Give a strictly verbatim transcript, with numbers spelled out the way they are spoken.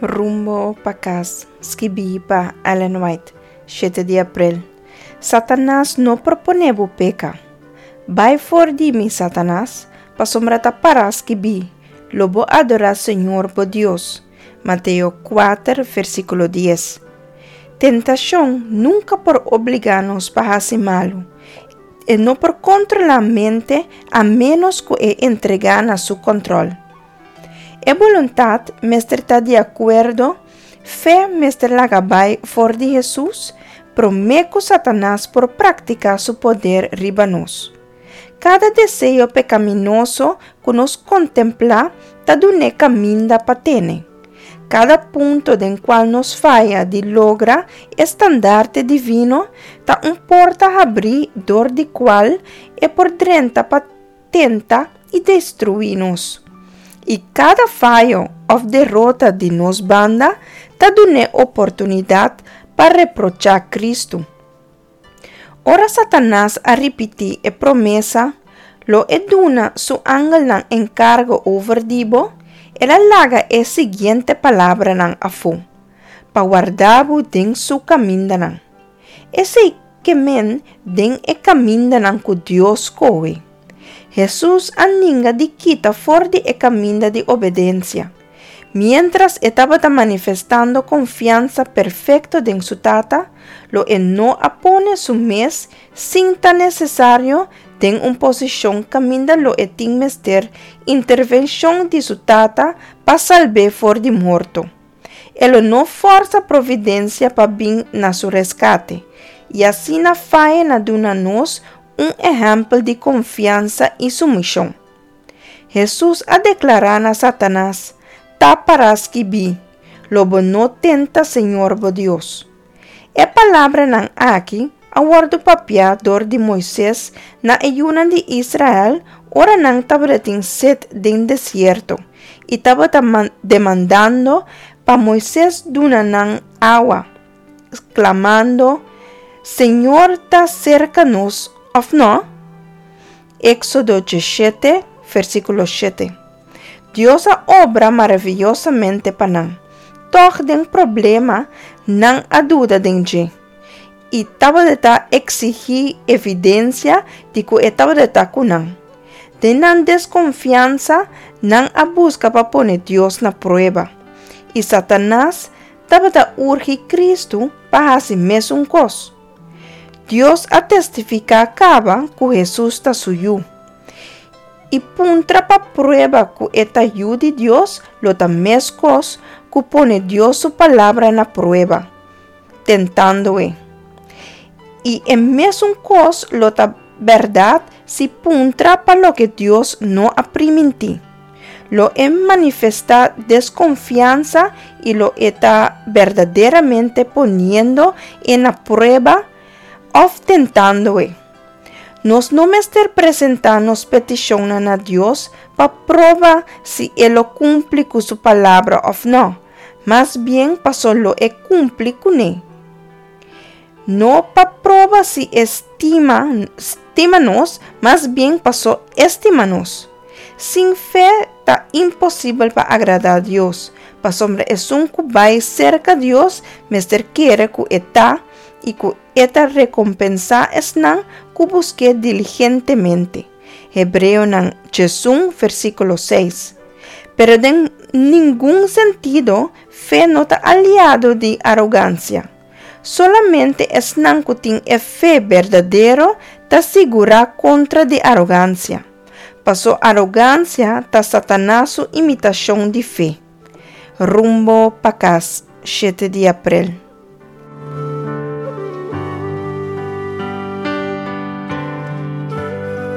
Rumbo pa Kas, skibí pa Ellen White, shete di aprel. Satanas no por pone bo peka. Bai for di mi, Satanas, pasobra ta pará skibí, Lo bo adorá Señor bo Dios. Mateo kuater, versíkulo dies. Tentashon nunka por obligá nos pa hasi malu. E no por kontrolá mente a ménos ku e entregá na su kòntròl. E boluntat mester ta di akuerdo, fe mester laga bai for di Hesus promé ku Satanas por praktiká su poder riba nos. Kada deseo pekaminoso ku nos kontemplá ta dun'é kaminda pa tene. Kada punto den kual nos faya di logra e standarte divino ta un porta habrí dor di kual e por drenta pa tenta i destruí nos. I kada fayo òf derota di nos banda ta dun'é oportunidat pa reprochá Kristu. Ora Satanas a ripití e promesa, Lo e duna su angelnan enkargo over di bo, el a laga e siguiente palabranan afó, Pa warda bo den su kamindanan. Esei ke men den e kamindanan ku Dios skohe. Hesus a ninga di kita for di e kaminda di obedensia. Miéntras e tabata manifestando konfiansa perfekto den su Tata, lo e no a pone su mes sin ta nesesario den un posishon kaminda lo e tin mester intervenshon di su Tata pa salb'é for di morto. E lo no fòrsa providensia pa bin na su reskate, i asina faya na duna nos un ehèmpel di konfiansa i sumishon. Hesus a deklará na Satanas, Ta pará skibí, Lo bo no tenta Señor bo Dios. E palabranan aki a wòrdu papiá dor di Moises na e yunan di Israel ora nan tabatin set den desierto i tabata demandando pa Moises duna nan awa, sklamando, Señor ta serka nos, òf no? Éksodo diesshete, versíkulo shete. Dios a obra maraviyosamente pa nan. Tòg den problema nan a duda den dje i tabata eksigí evidensia di ku e tabata ku nan. Den nan deskonfiansa nan a buska pa pone Dios na prueba. I Satanas tabata urgi Kristu pa hasi mesun kos. Dios a testifiká kaba ku Hesus ta su Yu. I puntra pa prueba ku e ta Yu di Dios lo ta meskos ku pone Dios su Palabra na prueba, tentando e. I e mesun kos lo ta bèrdat si puntra pa loke Dios no a primintí. Lo e manifestá deskonfiansa i lo e ta berdaderamente poniendo e na prueba òf tentando e. Nos no mester presentá nos petishonnan na Dios pa proba si e lo kumpli ku su Palabra òf nò, mas bien pasobra lo e kumpli kuné. No pa proba si e stima stima nos, mas bien paso e stima nos. Sin fe ta imposibel pa agradá Dios, pasobra esun ku bai serka Dios mester kere ku e ta i ku e ta rekompensá esnan ku busk'é diligentemente. Hebreonan diesun versíkulo seis. Pero den ningun sentido fe no ta aliado di arogansia. Solamente esnan ku tin e fe berdadero ta sigurá kontra di arogansia. Paso arogansia ta Satanas su imitashon di fe. Rumbo pa Kas, shete di aprel.